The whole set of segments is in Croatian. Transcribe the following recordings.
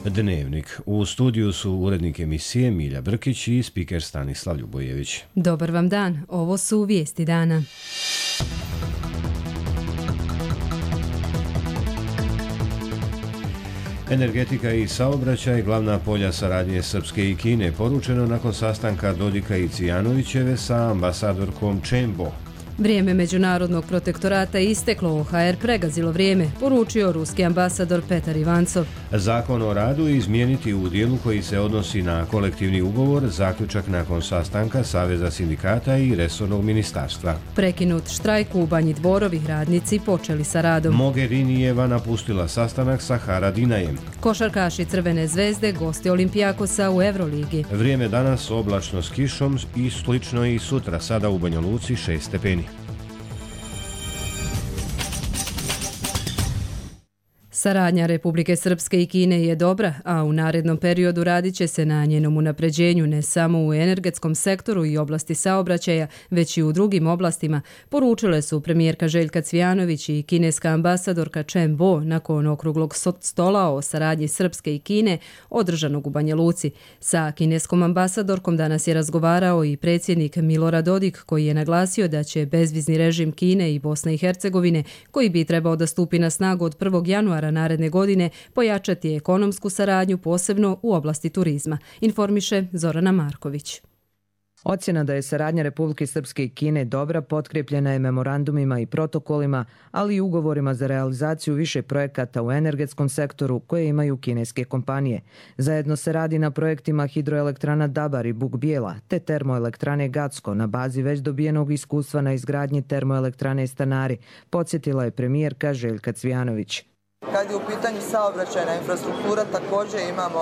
Dnevnik. U studiju su urednik emisije Milja Brkić i spiker Stanislav Ljubojević. Dobar vam dan, ovo su vijesti dana. Energetika i saobraćaj, glavna polja saradnje Srpske i Kine, poručeno nakon sastanka Dodika i Cvijanovićeve sa ambasadorkom Chen Bo. Vrijeme međunarodnog protektorata isteklo, OHR pregazilo vrijeme, poručio ruski ambasador Petar Ivancov. Zakon o radu izmijeniti u dijelu koji se odnosi na kolektivni ugovor, zaključak nakon sastanka Saveza sindikata i resornog ministarstva. Prekinut štrajk u Banji Dvorovi, radnici počeli sa radom. Mogherinijeva napustila sastanak sa Haradinajem. Košarkaši Crvene zvezde, gosti Olimpijakosa u Euroligi. Vrijeme danas oblačno s kišom i slično i sutra, sada u Banja Luci 6 stepeni. Saradnja Republike Srpske i Kine je dobra, a u narednom periodu radit će se na njenom unapređenju ne samo u energetskom sektoru i oblasti saobraćaja, već i u drugim oblastima, poručile su premijerka Željka Cvijanović i kineska ambasadorka Chen Bo nakon okruglog stola o saradnji Srpske i Kine održanog u Banja Luci. Sa kineskom ambasadorkom danas je razgovarao i predsjednik Milorad Dodik, koji je naglasio da će bezvizni režim Kine i Bosne i Hercegovine, koji bi trebao da stupi na snagu od 1. januara naredne godine, pojačati ekonomsku saradnju posebno u oblasti turizma, informiše Zorana Marković. Ocjena da je saradnja Republike Srpske i Kine dobra potkrepljena je memorandumima i protokolima, ali i ugovorima za realizaciju više projekata u energetskom sektoru koje imaju kineske kompanije. Zajedno se radi na projektima hidroelektrana Dabar i Buk Bijela te termoelektrane Gacko na bazi već dobijenog iskustva na izgradnji termoelektrane Stanari, podsjetila je premijerka Željka Cvijanović. Kad je u pitanju saobraćajna infrastruktura, također imamo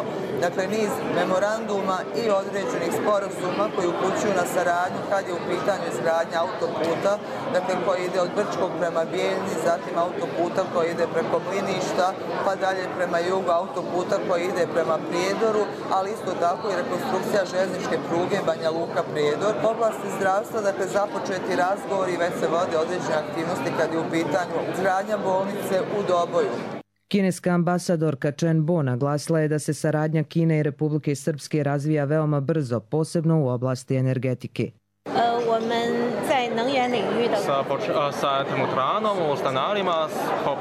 niz memoranduma i određenih sporazuma koji upućuju na saradnju kad je u pitanju izgradnja autoputa, koji ide od Brčkog prema Bijeljni, zatim autoputa koji ide preko Mliništa, pa dalje prema jugu, autoputa koji ide prema Prijedoru, ali isto tako i rekonstrukcija željezničke pruge Banja Luka Prijedor. U oblasti zdravstva, započeti razgovori i već se vode određene aktivnosti kad je u pitanju izgradnja bolnice u Doboju. Kineska ambasadorka Chen Bo naglasila je da se saradnja Kine i Republike Srpske razvija veoma brzo, posebno u oblasti energetike. Sa termoelektranom u Stanarima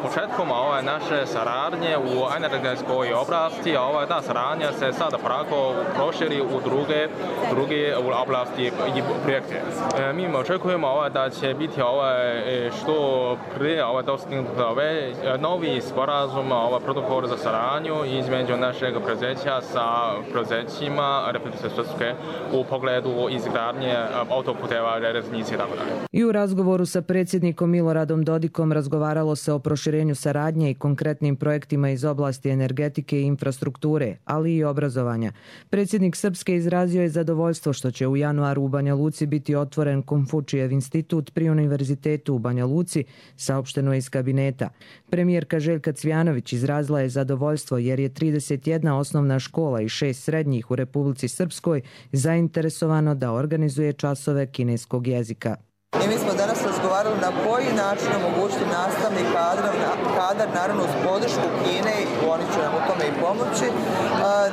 početkom naše saradnje u energetskoj oblasti, ta saradnja se sada prako proširi u druge oblasti i projekte. Mi očekujemo da će biti što prije dostignut novi sporazum, protokol za saradnju između našeg preduzeća sa preduzećima Republike Srpske u pogledu izgradnje autoputeva, železnice i tako dalje. I u razgovoru sa predsjednikom Miloradom Dodikom razgovaralo se o proširenju saradnje i konkretnim projektima iz oblasti energetike i infrastrukture, ali i obrazovanja. Predsjednik Srpske izrazio je zadovoljstvo što će u januaru u Banja Luci biti otvoren Konfučijev institut pri Univerzitetu u Banja Luci, saopšteno je iz kabineta. Premijerka Željka Cvijanović izrazila je zadovoljstvo jer je 31 osnovna škola i 6 srednjih u Republici Srpskoj zainteresovano da organizuje časove kineskog jezika. I mi smo danas razgovarali na koji način omogućiti nastavni kadar, naravno uz podršku Kine, i oni će nam u tome i pomoći,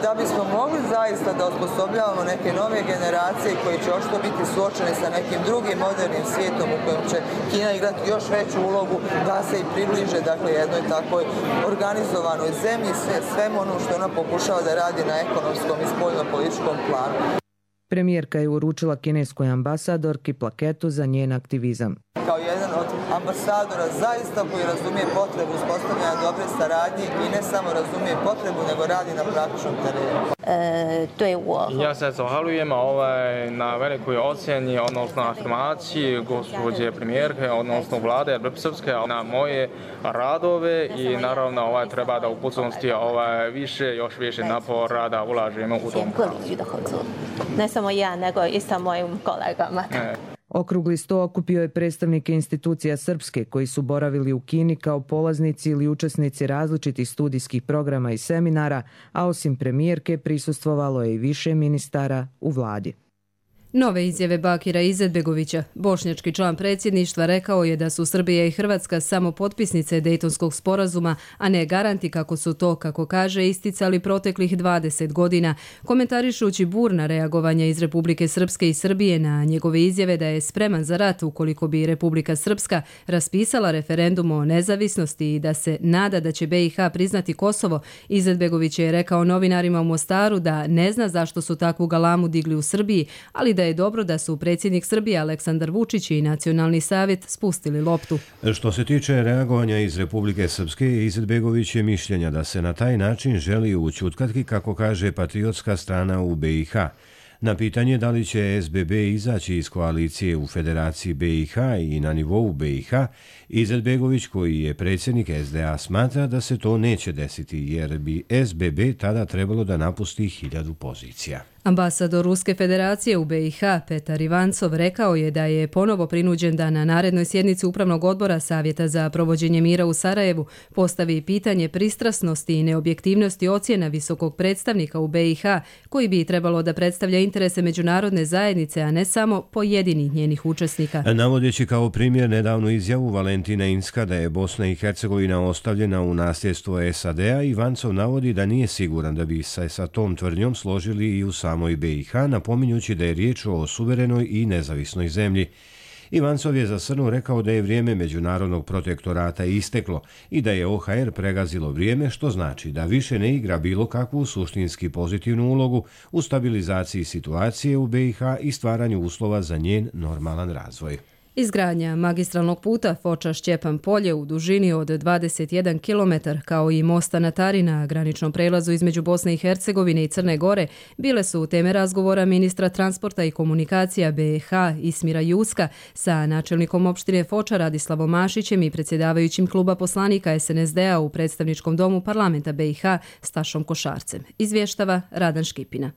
da bismo mogli zaista da osposobljavamo neke nove generacije koji će očito biti suočeni sa nekim drugim modernim svijetom u kojem će Kina igrati još veću ulogu, da se i približe jednoj takvoj organizovanoj zemlji, svemu ono što ona pokušava da radi na ekonomskom i spoljno-političkom planu. Premijerka je uručila kineskoj ambasadorki plaketu za njen aktivizam. Kao jedan od ambasadora zaista koji razumije potrebu uspostavljanja dobre saradnje i ne samo razumije potrebu, nego radi na praktičnom terenu. Ja se zahvaljujem na velikoj ocjeni, odnosno afirmaciji gospođe premijerke, odnosno vlade Republike Srpske na moje radove i naravno treba da u budućnosti još više napora da ulažemo u tom pravcu. Ne samo ja, nego i sa mojim kolegama. Okrugli sto okupio je predstavnike institucija Srpske koji su boravili u Kini kao polaznici ili učesnici različitih studijskih programa i seminara, a osim premijerke prisustvovalo je i više ministara u vladi. Nove izjave Bakira Izetbegovića, bošnjački član predsjedništva, rekao je da su Srbija i Hrvatska samo potpisnice Dejtonskog sporazuma, a ne garanti kako su to, kako kaže, isticali proteklih 20 godina, komentarišući burna reagovanja iz Republike Srpske i Srbije na njegove izjave da je spreman za rat ukoliko bi Republika Srpska raspisala referendum o nezavisnosti i da se nada da će BiH priznati Kosovo. Izetbegović je rekao novinarima u Mostaru da ne zna zašto su takvu galamu digli u Srbiji, ali da je dobro da su predsjednik Srbije Aleksandar Vučić i Nacionalni savjet spustili loptu. Što se tiče reagovanja iz Republike Srpske, Izetbegović je mišljenja da se na taj način želi ućutkati, kako kaže, patriotska strana u BiH. Na pitanje da li će SBB izaći iz koalicije u Federaciji BiH i na nivou BiH, Izetbegović, koji je predsjednik SDA, smatra da se to neće desiti jer bi SBB tada trebalo da napusti 1000 pozicija. Ambasador Ruske federacije u BiH Petar Ivancov rekao je da je ponovo prinuđen da na narednoj sjednici Upravnog odbora Savjeta za provođenje mira u Sarajevu postavi pitanje pristrasnosti i neobjektivnosti ocjena visokog predstavnika u BiH, koji bi trebalo da predstavlja interese međunarodne zajednice, a ne samo pojedinih njenih učesnika. Navodeći kao primjer nedavnu izjavu Valentina Inzka da je Bosna i Hercegovina ostavljena u nasljedstvo SAD-a, Ivancov navodi da nije siguran da bi se sa tom tvrdnjom složili i u samoj BiH, napominjući da je riječ o suverenoj i nezavisnoj zemlji. Ivancov je za Srnu rekao da je vrijeme međunarodnog protektorata isteklo i da je OHR pregazilo vrijeme, što znači da više ne igra bilo kakvu suštinski pozitivnu ulogu u stabilizaciji situacije u BiH i stvaranju uslova za njen normalan razvoj. Izgradnja magistralnog puta Foča-Šćepan Polje u dužini od 21 km kao i mosta na Tari na graničnom prelazu između Bosne i Hercegovine i Crne Gore bile su teme razgovora ministra transporta i komunikacija BiH Ismira Juska sa načelnikom opštine Foča Radislavom Mašićem i predsjedavajućim kluba poslanika SNSD-a u predstavničkom domu parlamenta BiH Stašom Košarcem. Izvještava Radan Škipina.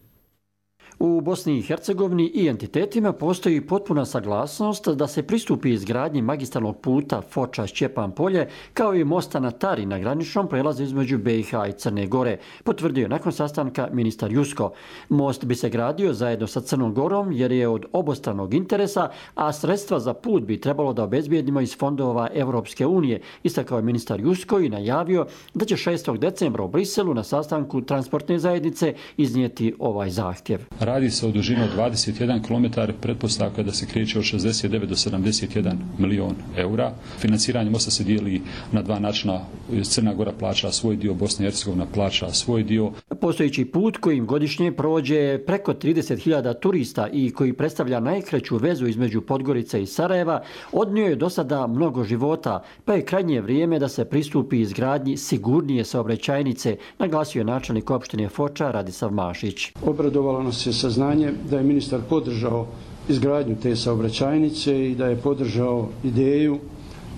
U Bosni i Hercegovini i entitetima postoji potpuna saglasnost da se pristupi izgradnji magistralnog puta Foča-Šćepan Polje kao i mosta na Tari na graničnom prelazu između BiH i Crne Gore, potvrdio nakon sastanka ministar Jusko. Most bi se gradio zajedno sa Crnom Gorom jer je od obostranog interesa, a sredstva za put bi trebalo da obezbijedimo iz fondova Europske unije, istakao je ministar Jusko i najavio da će 6. decembra u Briselu na sastanku transportne zajednice iznijeti ovaj zahtjev. Radi se o dužini od 21 km, pretpostavka da se kreće od 69 do 71 milion eura. Financiranje mosta se dijeli na dva načina. Crna Gora plaća svoj dio, Bosna i Hercegovina plaća svoj dio. Postojeći put kojim godišnje prođe preko 30.000 turista i koji predstavlja najkraću vezu između Podgorice i Sarajeva, odnio je do sada mnogo života, pa je krajnje vrijeme da se pristupi izgradnji sigurnije saobraćajnice, naglasio je načelnik opštine Foča Radislav Mašić. Obradovalo nas je saznanje da je ministar podržao izgradnju te saobraćajnice i da je podržao ideju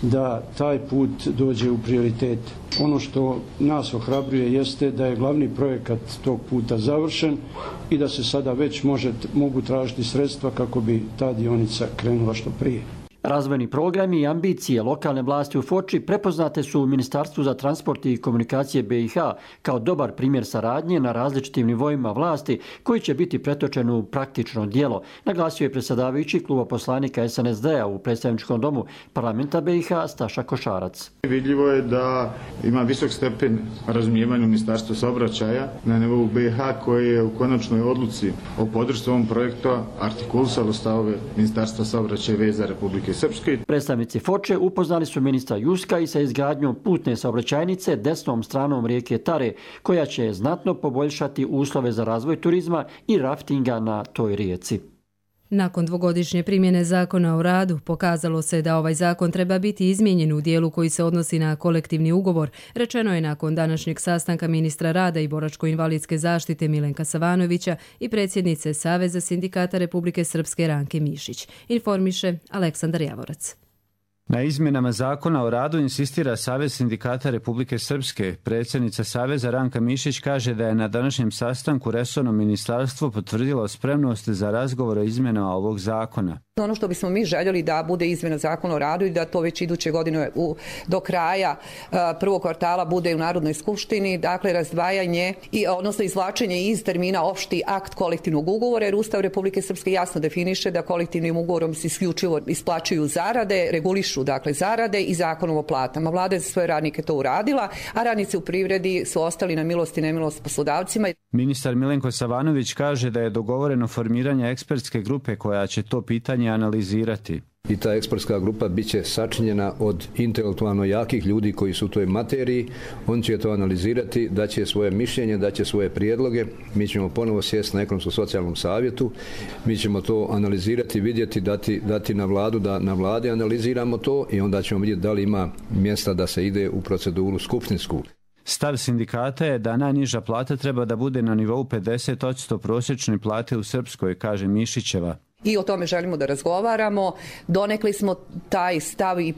da taj put dođe u prioritet. Ono što nas ohrabruje jeste da je glavni projekat tog puta završen i da se sada već mogu tražiti sredstva kako bi ta dionica krenula što prije. Razvojni programi i ambicije lokalne vlasti u Foči prepoznate su u Ministarstvu za transport i komunikacije BiH kao dobar primjer saradnje na različitim nivoima vlasti koji će biti pretočen u praktično djelo, naglasio je predsjedavajući kluba poslanika SNSD-a u predstavničkom domu parlamenta BiH Staša Košarac. Vidljivo je da ima visok stepen razumijevanja Ministarstva saobraćaja na nivou BiH koji je u konačnoj odluci o podršci ovom projektu artikulisalo stavove Ministarstva saobraćaja i veza Republike Srpske. Predstavnici Foče upoznali su ministra Juska i sa izgradnjom putne saobraćajnice desnom stranom rijeke Tare, koja će znatno poboljšati uslove za razvoj turizma i raftinga na toj rijeci. Nakon dvogodišnje primjene zakona o radu, pokazalo se da ovaj zakon treba biti izmijenjen u dijelu koji se odnosi na kolektivni ugovor, rečeno je nakon današnjeg sastanka ministra rada i boračko-invalidske zaštite Milenka Savanovića i predsjednice Saveza sindikata Republike Srpske Ranke Mišić. Informiše Aleksandar Javorac. Na izmjenama zakona o radu insistira Savez sindikata Republike Srpske. Predsjednica Saveza Ranka Mišić kaže da je na današnjem sastanku resorno ministarstvo potvrdilo spremnost za razgovor o izmjenama ovog zakona. Ono što bismo mi željeli da bude izmjena zakona o radu i da to već iduće godine do kraja prvog kvartala bude u Narodnoj skupštini, dakle razdvajanje odnosno izvlačenje iz termina opšti akt kolektivnog ugovora, jer Ustav Republike Srpske jasno definiše da kolektivnim ugovorom se isključivo isplaćuju zarade, regulišu dakle zarade i zakonom o platama. Vlada je za svoje radnike to uradila, a radnici u privredi su ostali na milost i nemilost poslodavcima. Ministar Milenko Savanović kaže da je dogovoreno formiranje ekspertske grupe koja će to pitanje analizirati. I ta ekspertska grupa bit će sačinjena od intelektualno jakih ljudi koji su u toj materiji. On će to analizirati, daće svoje mišljenje, daće svoje prijedloge. Mi ćemo ponovo sjesti na ekonomsko-socijalnom savjetu. Mi ćemo to analizirati, vidjeti, dati na vladu, da na vladi analiziramo to i onda ćemo vidjeti da li ima mjesta da se ide u proceduru skupštinsku. Stav sindikata je da najniža plata treba da bude na nivou 50% prosječne plate u Srpskoj, kaže Mišićeva. I o tome želimo da razgovaramo. Donekli smo taj stav i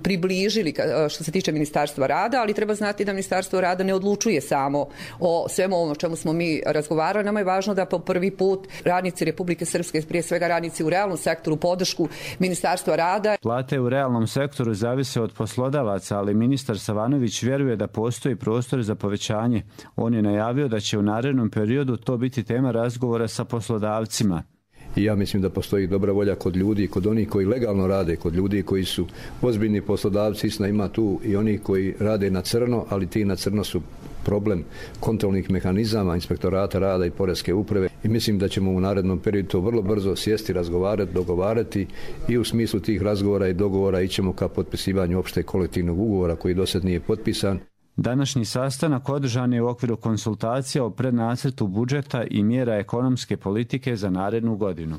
približili što se tiče Ministarstva rada, ali treba znati da Ministarstvo rada ne odlučuje samo o svemu ovom o čemu smo mi razgovarali. Nama je važno da po prvi put radnici Republike Srpske, prije svega radnici u realnom sektoru, podršku Ministarstva rada. Plate u realnom sektoru zavise od poslodavaca, ali ministar Savanović vjeruje da postoji prostor za povećanje. On je najavio da će u narednom periodu to biti tema razgovora sa poslodavcima. I ja mislim da postoji dobra volja kod ljudi, kod onih koji legalno rade, kod ljudi koji su ozbiljni poslodavci. Istina, ima tu i oni koji rade na crno, ali ti na crno su problem kontrolnih mehanizama, inspektorata rada i poreske uprave. I mislim da ćemo u narednom periodu to vrlo brzo sjesti, razgovarati, dogovarati i u smislu tih razgovora i dogovora ićemo ka potpisivanju opšteg kolektivnog ugovora koji do sad nije potpisan. Današnji sastanak održan je u okviru konsultacija o prednacrtu budžeta i mjera ekonomske politike za narednu godinu.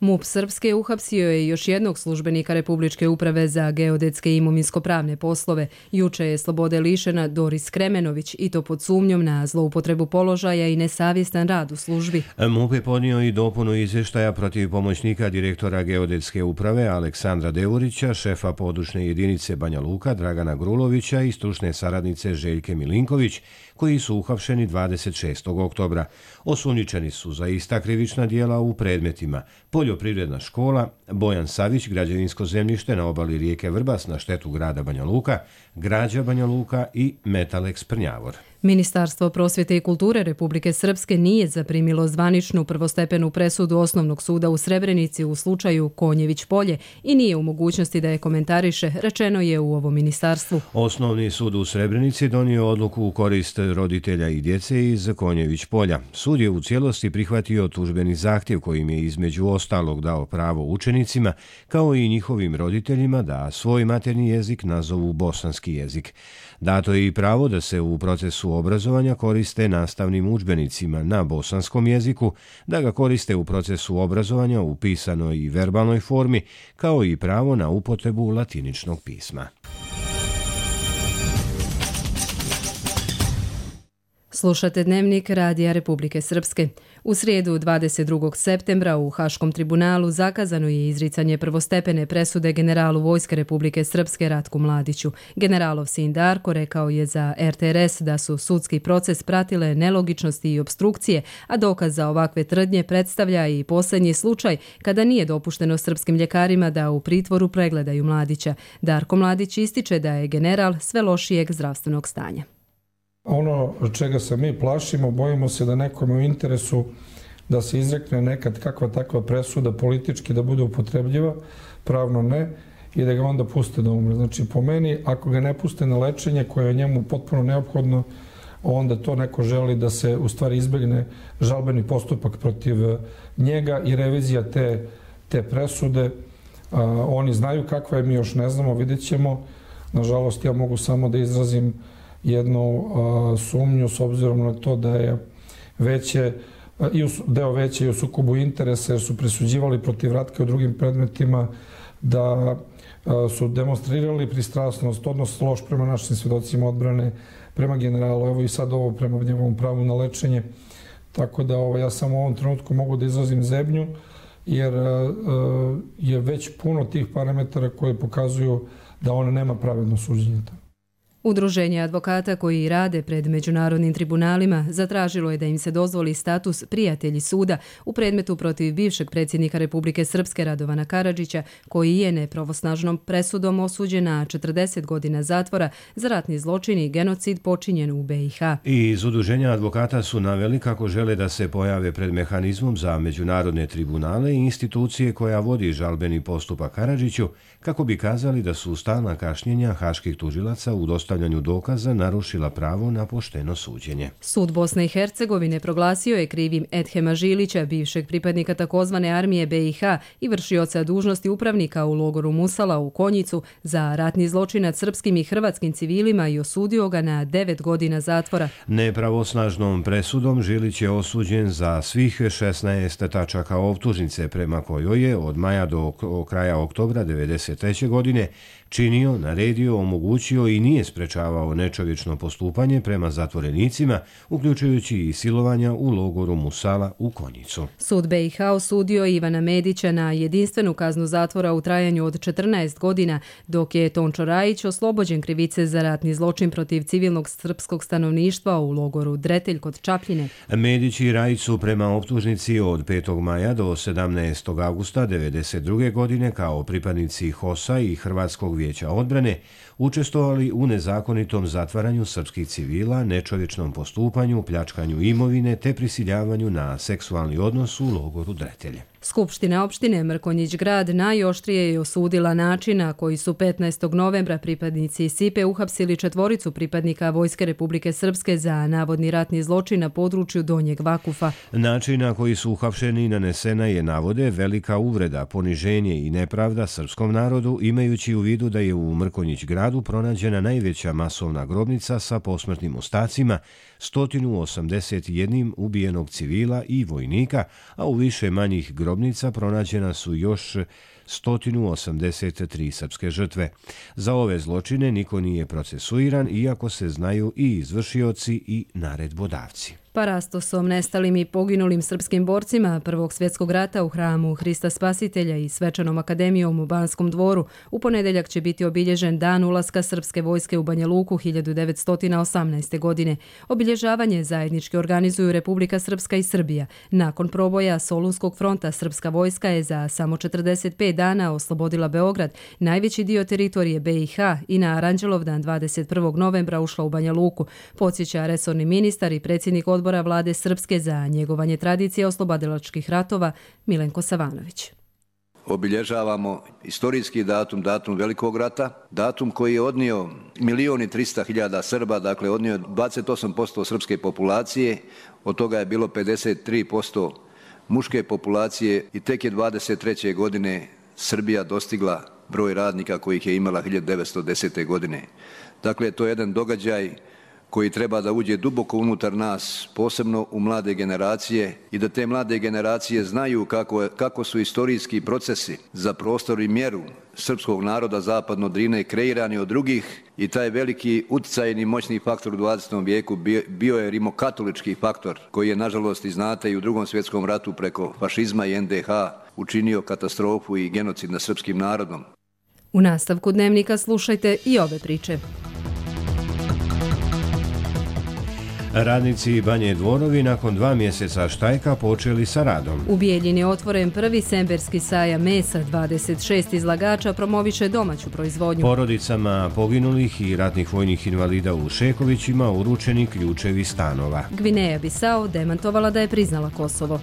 MUP Srpske uhapsio je još jednog službenika Republičke uprave za geodetske i imovinsko-pravne poslove. Juče je slobode lišena Doris Kremenović i to pod sumnjom na zloupotrebu položaja i nesavjestan rad u službi. MUP je podnio i dopunu izvještaja protiv pomoćnika direktora geodetske uprave Aleksandra Devorića, šefa područne jedinice Banja Luka Dragana Grulovića i stručne saradnice Željke Milinković, koji su uhapšeni 26. oktobra. Osumnjičeni su za ista krivična djela u predmetima poljoprivredna škola, Bojan Savić, građevinsko zemljište na obali rijeke Vrbas na štetu grada Banja Luka, građa Banja Luka i Metalex Prnjavor. Ministarstvo prosvjete i kulture Republike Srpske nije zaprimilo zvaničnu prvostepenu presudu Osnovnog suda u Srebrenici u slučaju Konjević polje i nije u mogućnosti da je komentariše, rečeno je u ovom ministarstvu. Osnovni sud u Srebrenici donio odluku u korist roditelja i djece iz Konjević polja. Sud je u cijelosti prihvatio tužbeni zahtjev kojim je između ostalog dao pravo učenicima kao i njihovim roditeljima da svoj maternji jezik nazovu bosanski jezik. Dato je i pravo da se u procesu obrazovanja koriste nastavnim udžbenicima na bosanskom jeziku, da ga koriste u procesu obrazovanja u pisanoj i verbalnoj formi, kao i pravo na upotrebu latiničnog pisma. Slušate Dnevnik Radija Republike Srpske. U srijedu 22. septembra u Haškom tribunalu zakazano je izricanje prvostepene presude generalu Vojske Republike Srpske Ratku Mladiću. Generalov sin Darko rekao je za RTRS da su sudski proces pratile nelogičnosti i obstrukcije, a dokaz za ovakve tvrdnje predstavlja i posljednji slučaj kada nije dopušteno srpskim ljekarima da u pritvoru pregledaju Mladića. Darko Mladić ističe da je general sve lošijeg zdravstvenog stanja. Ono čega se mi plašimo, bojimo se da nekome u interesu da se izrekne nekad kakva takva presuda politički da bude upotrebljiva, pravno ne, i da ga onda puste da umre. Znači, po meni, ako ga ne puste na lečenje koje je njemu potpuno neophodno, onda to neko želi da se u stvari izbjegne žalbeni postupak protiv njega i revizija te presude. Oni znaju kakva je, mi još ne znamo, vidjet ćemo. Nažalost, ja mogu samo da izrazim jednu sumnju s obzirom na to da je deo veće i u sukobu interesa jer su presuđivali protiv Ratke u drugim predmetima, da su demonstrirali pristrasnost, odnos loš prema našim svjedocima odbrane, prema generalu, evo i sad ovo prema njegovom pravu na lečenje. Tako da ja samo u ovom trenutku mogu da izrazim zebnju jer je već puno tih parametara koje pokazuju da ona nema pravedno suđenje. Udruženje advokata koji rade pred međunarodnim tribunalima zatražilo je da im se dozvoli status prijatelji suda u predmetu protiv bivšeg predsjednika Republike Srpske Radovana Karadžića, koji je nepravosnažnom presudom osuđen na 40 godina zatvora za ratni zločin i genocid počinjen u BiH. I iz Udruženja advokata su naveli kako žele da se pojave pred mehanizmom za međunarodne tribunale i institucije koja vodi žalbeni postupak Karadžiću, kako bi kazali da su stalna kašnjenja haških tužilaca u dostavljanju dokaza narušila pravo na pošteno suđenje. Sud Bosne i Hercegovine proglasio je krivim Edhema Žilića, bivšeg pripadnika takozvane armije BiH i vršioca dužnosti upravnika u logoru Musala u Konjicu, za ratni zločin nad srpskim i hrvatskim civilima i osudio ga na 9 godina zatvora. Nepravosnažnom presudom Žilić je osuđen za svih 16 tačaka optužnice, prema kojoj je od maja do kraja oktobra 1993. godine činio, naredio, omogućio i nije sprečavao nečovječno postupanje prema zatvorenicima, uključujući i silovanja u logoru Musala u Konjicu. Sud BiH osudio Ivana Medića na jedinstvenu kaznu zatvora u trajanju od 14 godina, dok je Tončo Rajić oslobođen krivice za ratni zločin protiv civilnog srpskog stanovništva u logoru Dretelj kod Čapljine. Medić i Rajić su prema optužnici od 5. maja do 17. augusta 1992. godine kao pripadnici HOS-a i Hrvatskog vijeća odbrane učestvovali u nezakonitom zatvaranju srpskih civila, nečovječnom postupanju, pljačkanju imovine te prisiljavanju na seksualni odnos u logoru Dretelje. Skupština opštine Mrkonjić Grad najoštrije je osudila način na koji su 15. novembra pripadnici SIPE uhapsili 4 pripadnika Vojske Republike Srpske za navodni ratni zločin na području Donjeg Vakufa. Način na koji su uhapšeni nanesena je, navode, velika uvreda, poniženje i nepravda srpskom narodu, imajući u vidu da je u Mrkonjić Gradu pronađena najveća masovna grobnica sa posmrtnim ostacima, 181 ubijenog civila i vojnika, a u više manjih grobnica pronađena su još 183 srpske žrtve. Za ove zločine niko nije procesuiran, iako se znaju i izvršioci i naredbodavci. Parastosom nestalim i poginulim srpskim borcima Prvog svjetskog rata u hramu Hrista Spasitelja i Svečanom akademijom u Banskom dvoru u ponedeljak će biti obilježen dan ulaska srpske vojske u Banja Luku 1918. godine. Obilježavanje zajednički organizuju Republika Srpska i Srbija. Nakon proboja Solunskog fronta srpska vojska je za samo 45 dana oslobodila Beograd, najveći dio teritorije BiH, i na Aranđelovdan 21. novembra ušla u Banja Luku, podsjeća resorni ministar i predsjednik odbora Vlade Srpske za njegovanje tradicije oslobodilačkih ratova Milenko Savanović. Obilježavamo istorijski datum, datum Velikog rata, datum koji je odnio 1.300.000 Srba, dakle odnio 28% srpske populacije, od toga je bilo 53% muške populacije i tek je 23. godine Srbija dostigla broj radnika kojih je imala 1910. godine. Dakle, to je jedan događaj koji treba da uđe duboko unutar nas, posebno u mlade generacije, i da te mlade generacije znaju kako su istorijski procesi za prostor i mjeru srpskog naroda zapadno Drine kreirani od drugih, i taj veliki uticajni moćni faktor u 20. vijeku bio je rimokatolički faktor, koji je, nažalost, i znate, i u Drugom svjetskom ratu preko fašizma i NDH učinio katastrofu i genocid nad srpskim narodom. U nastavku Dnevnika slušajte i ove priče. Radnici Banje Dvorovi nakon 2 mjeseca štajka počeli sa radom. U Bijeljini je otvoren prvi semberski sajam mesa, 26 izlagača promoviše domaću proizvodnju. Porodicama poginulih i ratnih vojnih invalida u Šekovićima uručeni ključevi stanova. Gvineja Bisao demantovala da je priznala Kosovo.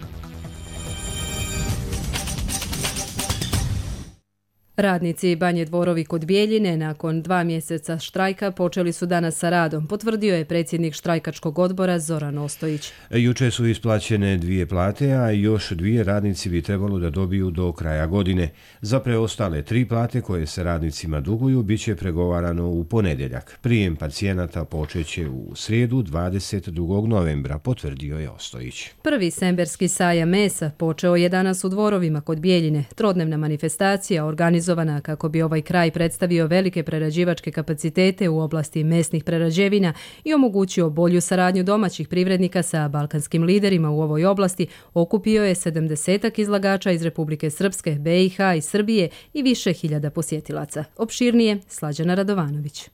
Radnici Banje Dvorovi kod Bijeljine nakon 2 mjeseca štrajka počeli su danas sa radom, potvrdio je predsjednik štrajkačkog odbora Zoran Ostojić. Juče su isplaćene 2 plate, a još 2 radnici bi trebalo da dobiju do kraja godine. Za preostale 3 plate koje se radnicima duguju biće pregovarano u ponedeljak. Prijem pacijenata počeće u srijedu 22. novembra, potvrdio je Ostojić. Prvi semberski sajam mesa počeo je danas u Dvorovima kod Bijeljine. Trodnevna manifestacija organizovana kako bi ovaj kraj predstavio velike prerađivačke kapacitete u oblasti mesnih prerađevina i omogućio bolju saradnju domaćih privrednika sa balkanskim liderima u ovoj oblasti, okupio je 70 izlagača iz Republike Srpske, BiH i Srbije i više hiljada posjetilaca. Opširnije Slađana Radovanović.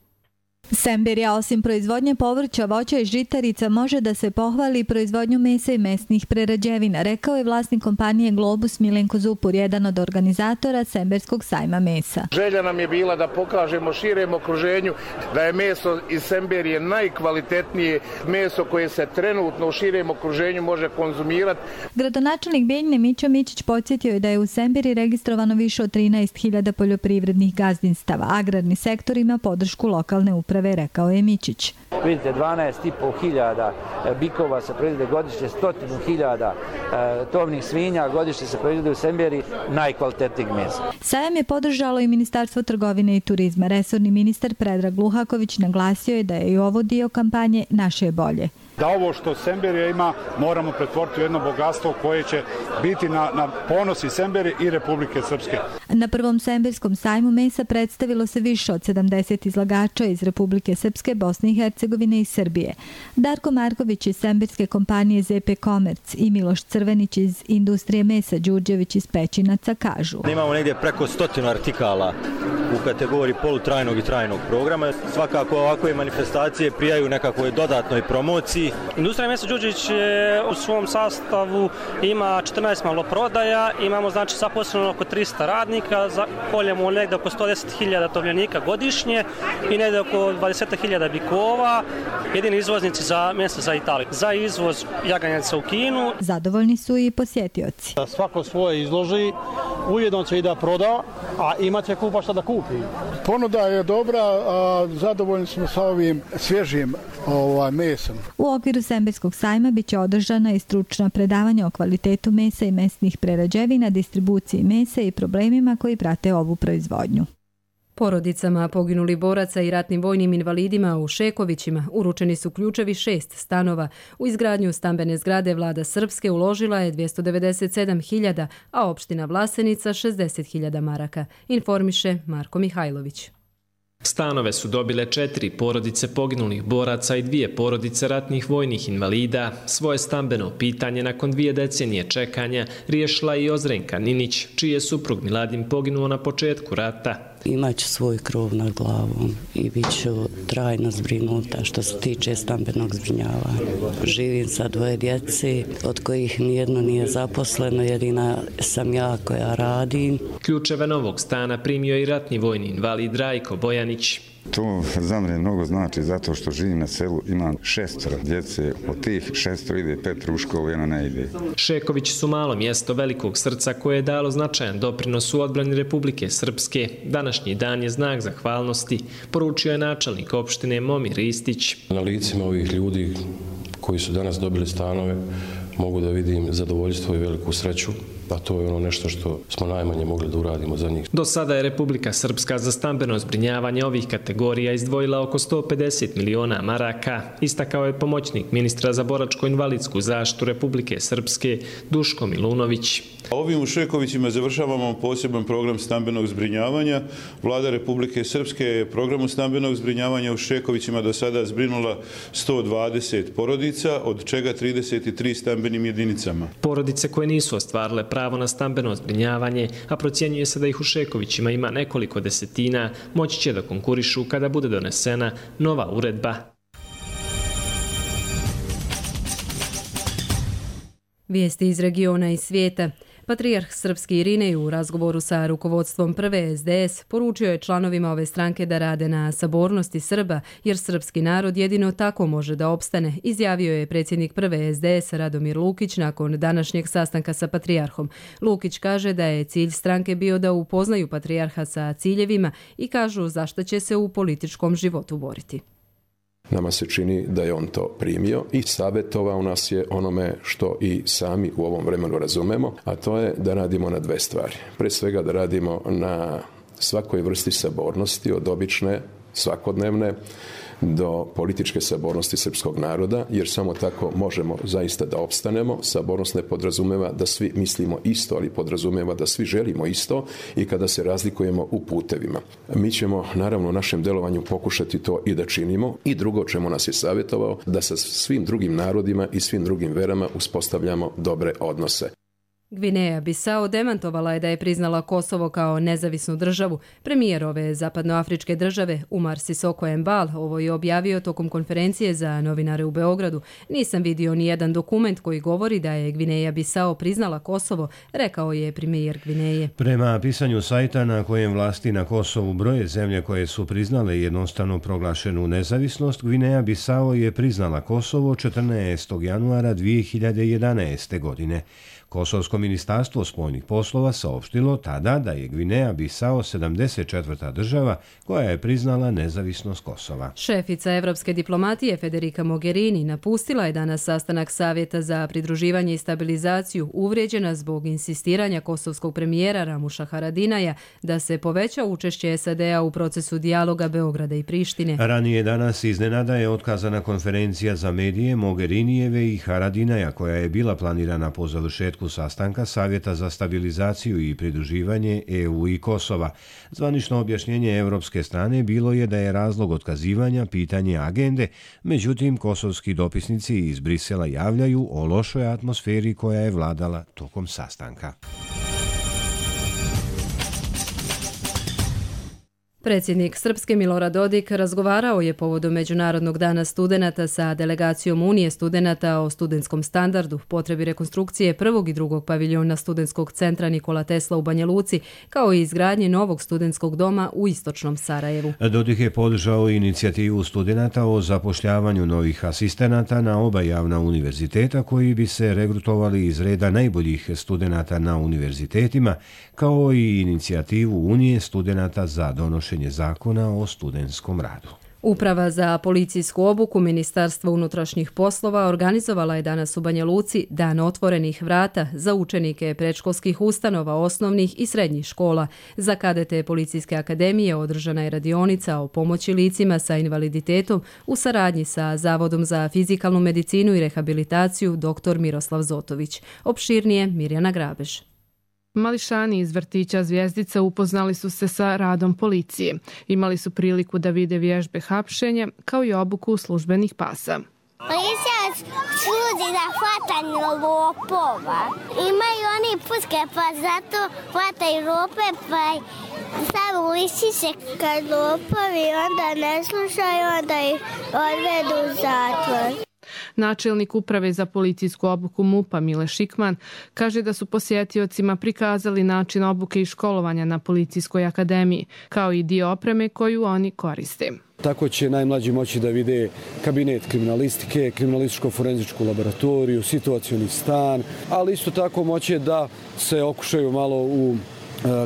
Semberija osim proizvodnje povrća, voća i žitarica može da se pohvali proizvodnju mesa i mesnih prerađevina, rekao je vlasnik kompanije Globus Milenko Zupur, jedan od organizatora Semberskog sajma mesa. Želja nam je bila da pokažemo širem okruženju da je meso iz Semberije najkvalitetnije meso koje se trenutno u širem okruženju može konzumirati. Gradonačelnik Bijeljine Mićo Mićić podsjetio je da je u Semberiji registrovano više od 13.000 poljoprivrednih gazdinstava. Agrarni sektor ima podršku lokalne uprave, rekao je Mićić. Vidite, 12.500 bikova se proizvode godišnje, 100.000 tovnih svinja godišnje se proizvode u Semberiji, najkvalitetnijeg mesa. Sajam je podržalo i Ministarstvo trgovine i turizma. Resorni ministar Predrag Luhaković naglasio je da je i ovo dio kampanje Naše je bolje. Da ovo što Semberija ima moramo pretvoriti u jedno bogatstvo koje će biti na ponos i Semberije i Republike Srpske. Na prvom Semberskom sajmu mesa predstavilo se više od 70 izlagača iz Republike Srpske, Bosne i Hercegovine i Srbije. Darko Marković iz semberske kompanije ZP Komerc i Miloš Crvenić iz industrije mesa Đurđević iz Pećinaca kažu. Imamo negdje preko 100 artikala u kategoriji polutrajnog i trajnog programa. Svakako ovakve manifestacije prijaju nekakvoj dodatnoj promociji. Industrija mesa Đurđević u svom sastavu ima 14 maloprodaja, imamo znači zaposleno oko 300 radnika, koljemo negdje oko 110.000 tovljenika godišnje i negdje oko 20.000 bikova, jedini izvoznici za mesa za Italiju. Za izvoz jaganjaca u Kinu. Zadovoljni su i posjetioci. Svako svoje izloži, ujedno će i da proda, a imaće kupa šta da kupi. Ponuda je dobra, a zadovoljni smo sa ovim svježim mesom. U okviru Semberskog sajma biće održana i stručna predavanja o kvalitetu mesa i mesnih prerađevina, distribuciji mesa i problemima koji prate ovu proizvodnju. Porodicama poginulih boraca i ratnim vojnim invalidima u Šekovićima uručeni su ključevi 6 stanova. U izgradnju stambene zgrade vlada Srpske uložila je 297.000, a opština Vlasenica 60.000 maraka, informiše Marko Mihajlović. Stanove su dobile 4 porodice poginulih boraca i 2 porodice ratnih vojnih invalida. Svoje stambeno pitanje nakon 2 decenije čekanja riješila i Ozrenka Ninić, čiji je suprug Miladin poginuo na početku rata. Imaću svoj krov nad glavom i bit ću trajno zbrinuta što se tiče stambenog zbrinjavanja. Živim sa 2 djece, od kojih nijedno nije zaposleno, jedina sam ja koja radim. Ključeve novog stana primio i ratni vojni invalid Rajko Bojanić. To za mene mnogo znači zato što živim na selu, imam 6 djece, od tih 6 ide 5 u školu, 1 ne ide. Šekovići su malo mjesto velikog srca koje je dalo značajan doprinos u odbrani Republike Srpske. Današnji dan je znak zahvalnosti, poručio je načelnik opštine Momir Ristić. Na licima ovih ljudi koji su danas dobili stanove mogu da vidim zadovoljstvo i veliku sreću, a to je ono nešto što smo najmanje mogli da uradimo za njih. Do sada je Republika Srpska za stambeno zbrinjavanje ovih kategorija izdvojila oko 150 miliona maraka, istakao je pomoćnik ministra za boračko-invalidsku zaštitu Republike Srpske Duško Milunović. Ovim u Šekovićima završavamo poseban program stambenog zbrinjavanja. Vlada Republike Srpske je programu stambenog zbrinjavanja u Šekovićima do sada zbrinula 120 porodica, od čega 33 stambenim jedinicama. Porodice koje nisu ostvarile pravo na stambeno zbrinjavanje, a procjenjuje se da ih u Šekovićima ima nekoliko desetina, moći će da konkurišu kada bude donesena nova uredba. Vijesti iz regiona i svijeta. Patrijarh Srpski Irinej u razgovoru sa rukovodstvom prve SDS poručio je članovima ove stranke da rade na sabornosti Srba, jer srpski narod jedino tako može da opstane, izjavio je predsjednik prve SDS Radomir Lukić nakon današnjeg sastanka sa patrijarhom. Lukić kaže da je cilj stranke bio da upoznaju patrijarha sa ciljevima i kažu zašto će se u političkom životu boriti. Nama se čini da je on to primio i savjetovao nas je onome što i sami u ovom vremenu razumemo, a to je da radimo na 2 stvari. Pre svega da radimo na svakoj vrsti sabornosti, od obične, svakodnevne, do političke sabornosti srpskog naroda, jer samo tako možemo zaista da opstanemo. Sabornost ne podrazumeva da svi mislimo isto, ali podrazumeva da svi želimo isto i kada se razlikujemo u putevima. Mi ćemo naravno u našem delovanju pokušati to i da činimo. I drugo čemu nas je savjetovao, da sa svim drugim narodima i svim drugim verama uspostavljamo dobre odnose. Gvineja Bisao demantovala je da je priznala Kosovo kao nezavisnu državu. Premijer ove zapadnoafričke države, Umar Sisoko Embal, ovo je objavio tokom konferencije za novinare u Beogradu. Nisam vidio ni jedan dokument koji govori da je Gvineja Bisao priznala Kosovo, rekao je premijer Gvineje. Prema pisanju sajta na kojem vlasti na Kosovu broje zemlje koje su priznale jednostavno proglašenu nezavisnost, Gvineja Bisao je priznala Kosovo 14. januara 2011. godine. Kosovsko ministarstvo spoljnih poslova saopštilo tada da je Gvineja Bisao 74. država koja je priznala nezavisnost Kosova. Šefica evropske diplomatije Federica Mogherini napustila je danas sastanak Savjeta za pridruživanje i stabilizaciju, uvrijeđena zbog insistiranja kosovskog premijera Ramuša Haradinaja da se poveća učešće SAD-a u procesu dijaloga Beograda i Prištine. Ranije danas iznenada je otkazana konferencija za medije Mogherinijeve i Haradinaja koja je bila planirana po završetku sastanka Savjeta za stabilizaciju i pridruživanje EU i Kosova. Zvanično objašnjenje evropske strane bilo je da je razlog otkazivanja pitanje agende, međutim kosovski dopisnici iz Brisela javljaju o lošoj atmosferi koja je vladala tokom sastanka. Predsjednik Srpske Milorad Dodik razgovarao je povodom Međunarodnog dana studenata sa delegacijom Unije studenata o studentskom standardu, potrebi rekonstrukcije prvog i drugog paviljona studentskog centra Nikola Tesla u Banja Luci, kao i izgradnje novog studentskog doma u istočnom Sarajevu. Dodik je podržao inicijativu studenata o zapošljavanju novih asistenata na oba javna univerziteta koji bi se regrutovali iz reda najboljih studenata na univerzitetima, kao i inicijativu Unije studenata za donošenje zakona o studentskom radu. Uprava za policijsku obuku Ministarstva unutrašnjih poslova organizovala je danas u Banja Luci Dan otvorenih vrata za učenike predškolskih ustanova, osnovnih i srednjih škola. Za kadete Policijske akademije održana je radionica o pomoći licima sa invaliditetom u saradnji sa Zavodom za fizikalnu medicinu i rehabilitaciju dr. Miroslav Zotović. Opširnije Mirjana Grabež. Mališani iz vrtića Zvjezdica upoznali su se sa radom policije. Imali su priliku da vide vježbe hapšenja kao i obuku službenih pasa. Policija služi za hvatanje lopova. Imaju oni puške pa zato hvataju lope pa stavaju listiće kad lopovi onda ne slušaju, onda ih odvedu u zatvor. Načelnik uprave za policijsku obuku MUP-a Mile Šikman kaže da su posjetiocima prikazali način obuke i školovanja na Policijskoj akademiji, kao i dio opreme koju oni koriste. Tako će najmlađi moći da vide kabinet kriminalistike, kriminalističko-forenzičku laboratoriju, situacioni stan, ali isto tako moće da se okušaju malo u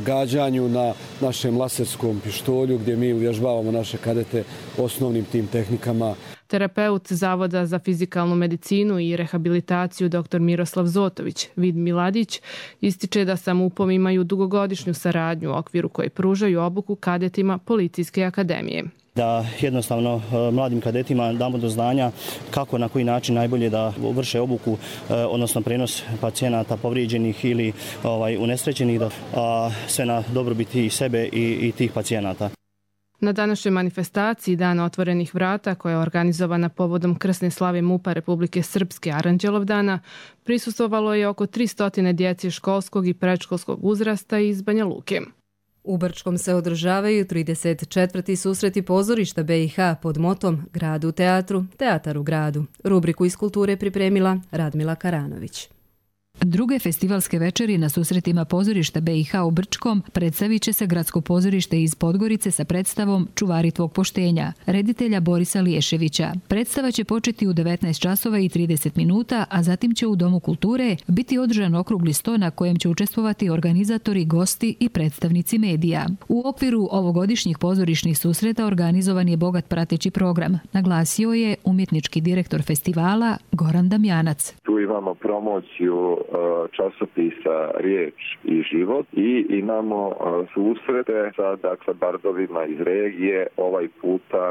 gađanju na našem laserskom pištolju gdje mi uvježbavamo naše kadete osnovnim tim tehnikama. Terapeut Zavoda za fizikalnu medicinu i rehabilitaciju dr. Miroslav Zotović, Vid Miladić, ističe da sa MUP-om imaju dugogodišnju saradnju u okviru koje pružaju obuku kadetima Policijske akademije. Da jednostavno mladim kadetima damo do znanja kako, na koji način najbolje da vrše obuku, odnosno prenos pacijenata povrijeđenih ili unesrećenih, sve na dobrobiti i sebe i tih pacijenata. Na današnjoj manifestaciji Dana otvorenih vrata, koja je organizovana povodom krsne slave MUP-a Republike Srpske Aranđelovdana, prisustvovalo je oko 300 djece školskog i predškolskog uzrasta iz Banja Luke. U Brčkom se održavaju 34. susreti pozorišta BiH pod motom Grad u teatru, teatar u gradu. Rubriku iz kulture pripremila Radmila Karanović. Druge festivalske večeri na susretima pozorišta BiH u Brčkom predstavit će se Gradsko pozorište iz Podgorice sa predstavom Čuvari tvog poštenja, reditelja Borisa Liješevića. Predstava će početi u 19 časova i 30 minuta, a zatim će u Domu kulture biti održan okrugli sto na kojem će učestvovati organizatori, gosti i predstavnici medija. U okviru ovogodišnjih pozorišnih susreta organizovan je bogat prateći program, naglasio je umjetnički direktor festivala Goran Damjanac. Tu imamo promociju časopisa Riječ i život i imamo susrete sa bardovima iz regije. Ovaj puta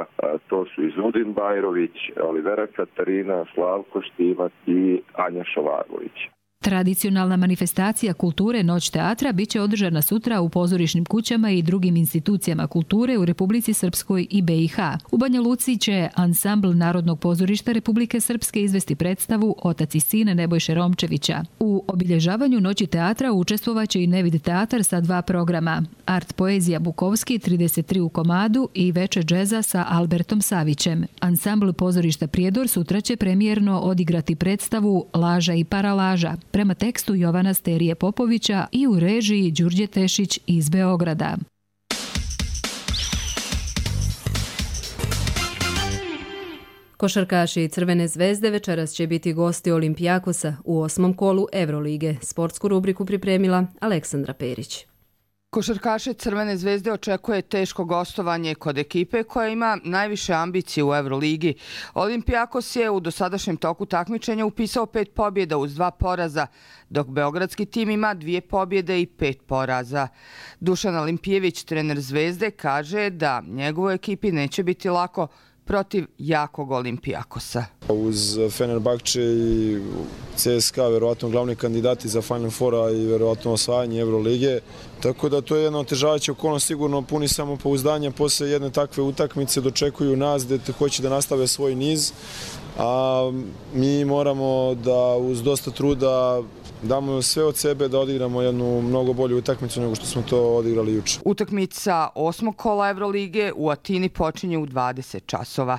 to su Izudin Bajrović, Olivera Katarina, Slavko Štimac i Anja Šovagović. Tradicionalna manifestacija kulture Noć teatra biće održana sutra u pozorišnim kućama i drugim institucijama kulture u Republici Srpskoj i BiH. U Banja Luci će ansambl Narodnog pozorišta Republike Srpske izvesti predstavu Otac i sin Nebojše Romčevića. U obilježavanju Noći teatra učestvovaće i Nevid teatar sa 2 programa: Art poezija Bukovski 33 u komadu i Veče džeza sa Albertom Savićem. Ansambl pozorišta Prijedor sutra će premijerno odigrati predstavu Laža i paralaža prema tekstu Jovana Sterije Popovića i u režiji Đurđe Tešić iz Beograda. Košarkaši Crvene zvezde večeras će biti gosti Olimpijakosa u 8. kolu Evrolige. Sportsku rubriku pripremila Aleksandra Perić. Košarkaše Crvene zvezde očekuje teško gostovanje kod ekipe koja ima najviše ambicije u Evroligi. Olimpijakos je u dosadašnjem toku takmičenja upisao 5 pobjeda uz 2 poraza, dok beogradski tim ima 2 pobjede i 5 poraza. Dušan Alimpijević, trener Zvezde, kaže da njegovoj ekipi neće biti lako protiv jakog Olimpijakosa. Uz Fenerbahče i CSKA verovatno glavni kandidati za Final Foura i verovatno osvajanje Evrolige. Tako da to je jedna otežavajuća okolnost, sigurno puni samopouzdanja posle jedne takve utakmice, dočekuju nas gde hoće da nastave svoj niz, a mi moramo da uz dosta truda damo sve od sebe da odigramo jednu mnogo bolju utakmicu nego što smo to odigrali juče. Utakmica 8. kola Evrolige u Atini počinje u 20 časova.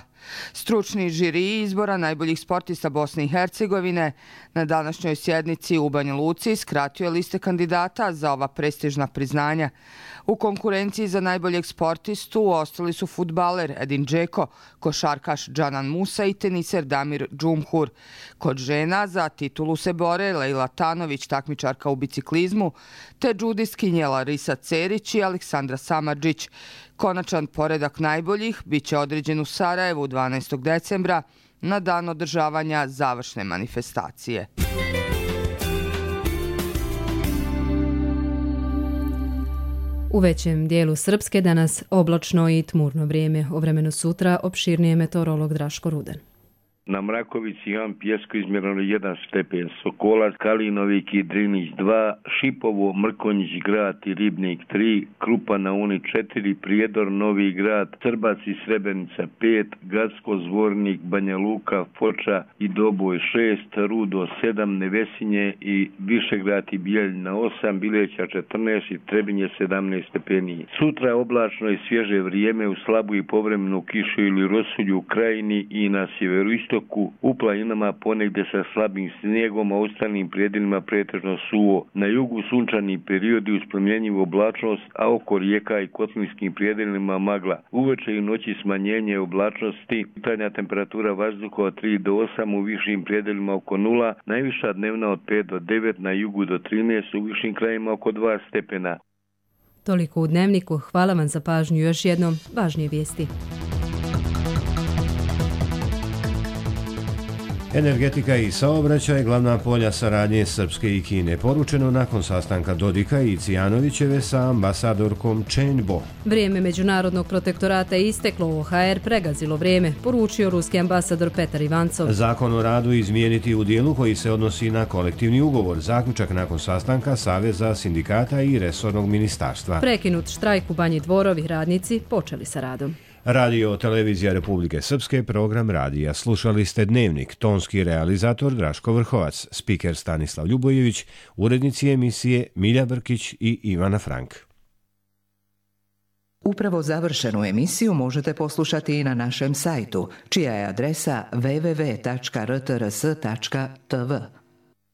Stručni žiri izbora najboljih sportista Bosne i Hercegovine na današnjoj sjednici u Banja Luci skratio je liste kandidata za ova prestižna priznanja. U konkurenciji za najboljeg sportistu ostali su fudbaler Edin Džeko, košarkaš Džanan Musa i teniser Damir Džumhur. Kod žena za titulu se bore Lejla Tanović, takmičarka u biciklizmu, te džudistkinje Larisa Cerić i Aleksandra Samardžić. Konačan poredak najboljih biće određen u Sarajevu 12. decembra na dan održavanja završne manifestacije. U većem dijelu Srpske danas oblačno i tmurno vrijeme. O vremenu sutra opširnije meteorolog Draško Rudan. Na Mrakovici imam Pjesko izmjereno 1 stepen, Sokolac, Kalinovik i Drinić 2, Šipovo, Mrkonjić grad i Ribnik 3, Krupa na Uni 4, Prijedor, Novi grad, Crbac i Srebrenica 5, Gacko, Zvornik, Banja Luka, Foča i Doboj 6, Rudo 7, Nevesinje i Višegrad i Bijeljina 8, Bileća 14 i Trebinje 17 stepeni. Sutra je oblačno i svježe vrijeme u slabu i povremenu kišu ili rosulju u Krajini i na sjeveroistoku. U planinama ponegdje sa slabim snijegom, a u ostalim predjelima pretežno suvo. Na jugu sunčani periodi uz promjenjivu oblačnost, a oko rijeka i kotlinskim predjelima magla. Uveče i noći smanjenje oblačnosti, jutarnja temperatura vazduha od 3 do 8, u višim predjelima oko 0, najviša dnevna od 5 do 9, na jugu do 13, u višim krajima oko 2 stepena. Toliko u Dnevniku. Hvala vam za pažnju. Još jednom važnije vijesti. Energetika i saobraćaj glavna polja saradnje Srpske i Kine, poručeno nakon sastanka Dodika i Cijanovićeve sa ambasadorkom Chen Bo. Vrijeme međunarodnog protektorata je isteklo, OHR pregazilo vrijeme, poručio ruski ambasador Petar Ivancov. Zakon o radu izmijeniti u dijelu koji se odnosi na kolektivni ugovor, zaključak nakon sastanka Saveza sindikata i resornog ministarstva. Prekinut štrajk u Banji Dvorovi, radnici počeli sa radom. Radio Televizija Republike Srpske, program radija. Slušali ste Dnevnik, tonski realizator Draško Vrhovac, spiker Stanislav Ljubojević, urednici emisije Milja Brkić i Ivana Frank. Upravo završenu emisiju možete poslušati i na našem sajtu, čija je adresa www.rtrs.tv.